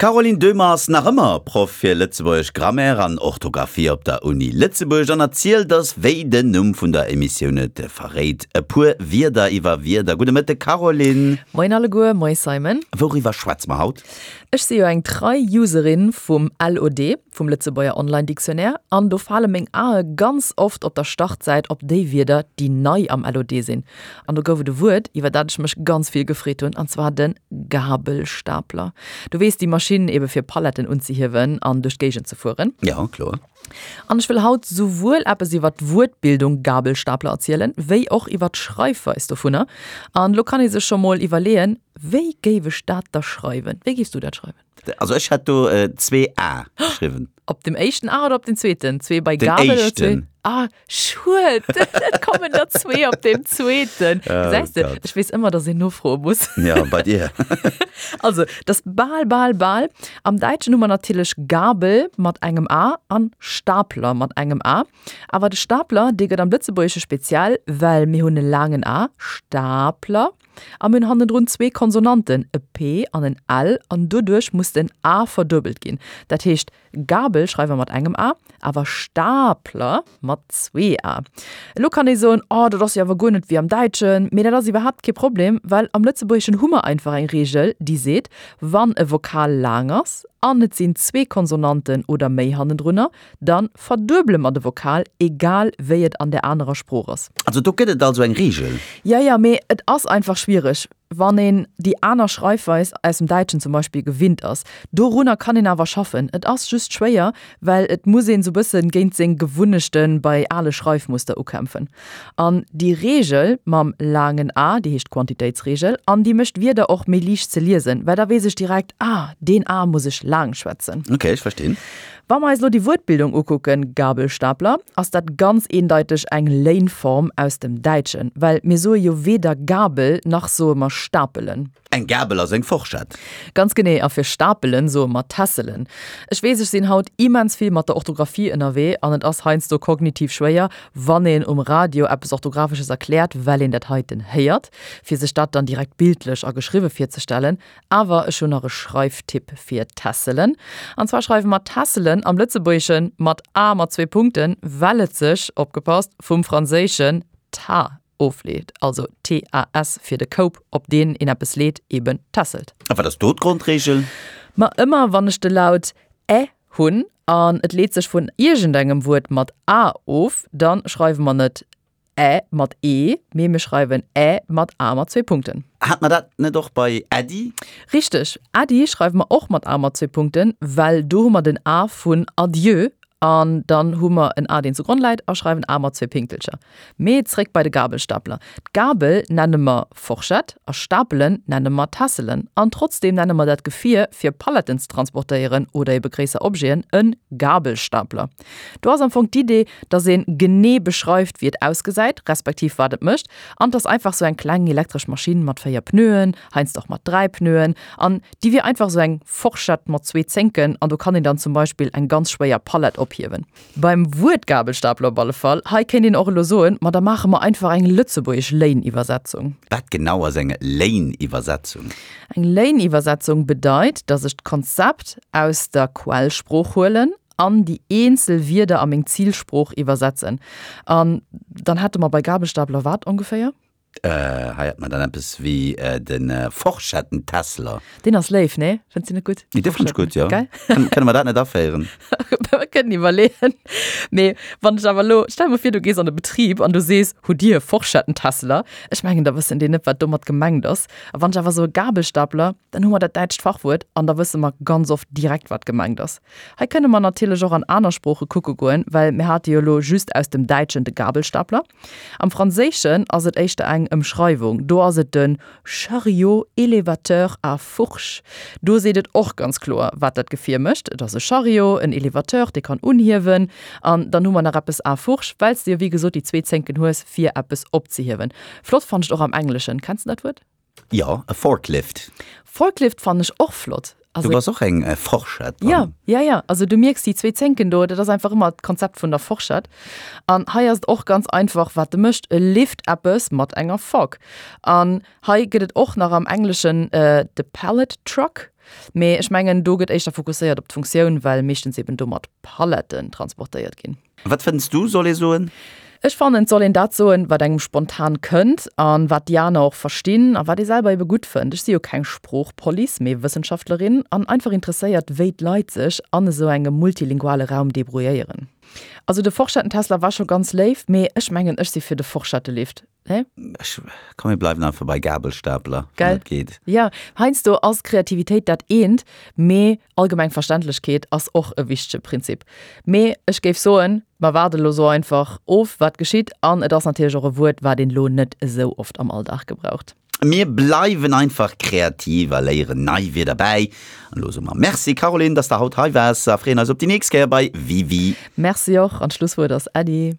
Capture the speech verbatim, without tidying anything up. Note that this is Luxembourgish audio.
D'Caroline Döhmer ass nach ëmmer Proff fir lëtzebuergesch Grammaire an Orthografie op der Uni Lëtzebuerg an erzielt eis, wéi den Numm vun der Emissioun et verréit, e puer Wierder iwwer Wierder. Gudde Mëtteg Caroline. Moien alleguer, moie Simon. Wouriwwer schwätze mer haut? Ech si jo eng trei Userin vum LOD, vum Lëtzebuerger Online Dictionnaire, an do fale meng Ae ganz oft op der Startsäit op déi Wierder, déi nei am LOD sinn. An do gouf et e Wuert, iwwer dat ech mech ganz vill gefreet hunn, an zwar de Gabelstapler. Du weess, déi Maschinn ebe fir Paletten unzehiewen an duerch d'Géigend ze fueren. Jo, kloer. An ech wëll haut souwuel eppes iwwer d'Wuertbildung Gabelstapler erzielen, wéi och iwwer d'Schreifweis dovunner. An elo kann ee sech scho mol iwwerleeën, Wéi géif ech dat da schreiwen? Wéi géifs du dat schreiwen? Also ech hätt do zwee A geschriwwen. Op dem éischten A oder op den zweeten? Zwee bei Den Gabel oder zwee? éischten. Ah, schued, et kommen der zwee op deem zweeten. Oh Gesäis de, Gott. ech weess ëmmer, dass een nofroe muss. Ja, bei dir. Also, dat ass bal, bal, bal. Am Däitschen hu mer natierlech Gabel mat engem A an Stapler mat engem A. Awer de Stapler, dee gëtt am Lëtzebuergesche speziell, well mir hunn e laangen A, Stapler, a mir hunn hannendrun zwee Konsonanten, e P an en L, an doduerch muss den A verduebelt ginn. Dat heescht, Gabel schreiwe mer mat engem A, awer Stapler mat zwee A. Elo kann ee soen, Oh, dat ass jo awer guer net wéi am Däitschen. Mee dat ass iwwerhaapt kee Problem, well am Lëtzebuergeschen hu mer einfach eng Reegel, déi seet, Wann e Vokal laang ass an et sinn zwee Konsonanten oder méi hannendrunner, da verduebele mer de Vokal, egal wéi et an där anerer Sprooch ass. Also do gëtt et also eng Reegel? Jo, jo, mee et ass einfach schwiereg, wann een déi aner Schreifweis aus dem Däitschen zum Beispill gewinnt ass. Dorunner kann een awer schaffen. Et ass just schwéier, well et muss een sou bëssen géint seng Gewunnechte bei ale Schreifmuster ukämpfen. An déi Reegel mam laangen a, déi heescht Quantitéitsreegel, an déi mécht d'Wierder och méi liicht ze liesen, well da weess ech direkt, ah, deen a muss ech laang schwätzen. Ok, ech verstinn. Wa mer eis elo déi Wuertbildung ukucken, Gabelstapler, ass dat ganz eendeiteg eng Léinform aus dem Däitschen, well mir soe jo weder Gabel nach soe mer stapelen. Eng Gabel ass eng Forschett. Ganz genee, a fir stapelen soe mer tässelen. Ech weess, ech sinn haut immens vill mat der Orthografie ënnerwee an et ass heiansdo kognitiv schwéier, wann een um Radio eppes Orthografesches erkläert, well een dat heiten héiert, fir sech dat dann direkt bildlech a geschriwwe virzestellen. Awer ech hunn nach e Schreiftipp fir tässelen. An zwar schreiwe mer tässelen am Lëtzebuergesche mat a mat zwee Punkten, well et sech, opgepasst, vum franséischen tas ofleet, also T A S fir de Koup, op deen een eppes leet, eben tässelt. A wat ass do d'Grondreegel? Ma ëmmer wann ech de Laut ä hunn an et leet sech vun iergendengem Wuert mat a of, da schreiwe mer net ä mat e, mee mir schreiwen ä mat a mat zwee Punkten. Hat mer dat net och bei Äddi? Richteg, Äddi schreiwe mer och mat a mat zwee Punkten, well do hu mer den a vun Adieu an dann hu mer en a, deen zugronn läit a schreiwen a mat zwee Pinktelcher. Mee zréck bei de Gabelstapler. D'Gabel nenne mer Forschett a Stapelen nenne mer Tässelen. An trotzdeem nenne mer dat Gefier, fir Paletten ze transportéieren oder ebe gréisser Objeten, e Gabelstapler. Do ass am Fong d'Idee, dass ee genee beschreift, wéi et ausgesäit, respektiv wat et mécht. An 't ass einfach sou eng kleng elektresch Maschinn mat véier Pneuen, heiansdo och mat dräi Pneuen. An déi wier einfach sou eng Forschett mat zwee Zénken an do kann een dann zum Beispill eng ganz schwéier Palett ophiewen. Beim Wuert Gabelstapler op alle Fall, hei kéint een och elo soen, ma da maache mer einfach eng lëtzebuergesch Léiniwwersetzung. Wat genau ass eng Léiniwwersetzung? Eng Léiniwwersetzung bedeit, dass ech d'Konzept aus der Quellsprooch huelen an déi eenzel Wierder a meng Zilsprooch iwwersetzen. An dann hätte mer bei Gabelstapler wat ongeféier? Hei hat mer dann eppes wéi de Forschettentessler. Deen ass léif, nee? Fënns de net gutt? Dee fannt ech gutt, jo. Gell? Kënne mer dat net aféieren? Mer kënnen iwwerleeën. Mee wann ech awer elo, stell mer vir, du gees an e Betrib an du sees, Hutt Dir e Forschettentessler? Ech mengen, da wëssen déi net, wat domat gemengt ass. A wann ech awer soe Gabelstapler, dann hu mer dat däitscht Fachwuert an da wësse mer ganz oft direkt, wat gemengt ass. Hei kënne mer natierlech och an aner Sprooche kucke goen, well mir hate jo elo just aus dem Däitschen de Gabelstapler. Am Franséischen ass et éischter eng Ëmschreiwung, do ass et de Chariot élévateur à fourches. Do seet et och ganz kloer, wat dat Gefier mécht, Et ass e Chariot, en Élévateur, dee kann unhiewen. An dann hu mer nach eppes à fourches, well s de jo wéi gesot déi zwee Zénken hues, fir eppes opzehiewen. Flott fannen ech et och am Engleschen. Kenns de dat Wuert? Jo, e Forklift. Forklift fannen ech och flott. Also, du bass och eng Forschett. Ja, ja, ja. Also du mierks déi zwee Zénken do, dat ass einfach ëmmer d'Konzept vun der Forschett. An hei ass et och ganz einfach, wat e mécht, E lift eppes mat enger Fork. An hei gëtt et och nach am Engleschen de Pallet Truck, mee ech mengen do gëtt éischter fokusséiert op d'Funktioun, well meeschtens eben domat Paletten transportéiert ginn. Wat fënns du, soll ee soen? Ech fannen, et soll een dat soen, wat engem spontan kënnt an wat déi aner och verstinn a wat ee selwer ebe gutt fënnt. Ech si jo keng Sproochpolice, mee Wëssenschaftlerin an einfach interesséiert, wéi d'Leit sech an esou engem multilinguale Raum debrouilléieren. Also de Forschetten-Tesla war scho ganz léif, mee ech mengen, ech si fir de Forschettelift. Hä? Ech, komm mir bleiwen einfach bei Gabelstapler, wann Gell? et geet. Jo, heiansdo ass Kreativitéit dat eent, mee allgemeng Verständlechkeet ass och e wichtege Prinzip. Mee ech géif soen, mer waarde lo sou einfach of, wat geschitt. An et ass natierlech och e Wuert, wat een lo net esou oft am Alldag gebraucht. Mir bleiwen einfach kreativ a léieren nei Wierder bäi. An elo soe mer Merci, Caroline, dass de haut hei waars a freeën eis op déi nächst Kéier bei Wiwi. Merci och, an d'Schlusswuert ass Äddi.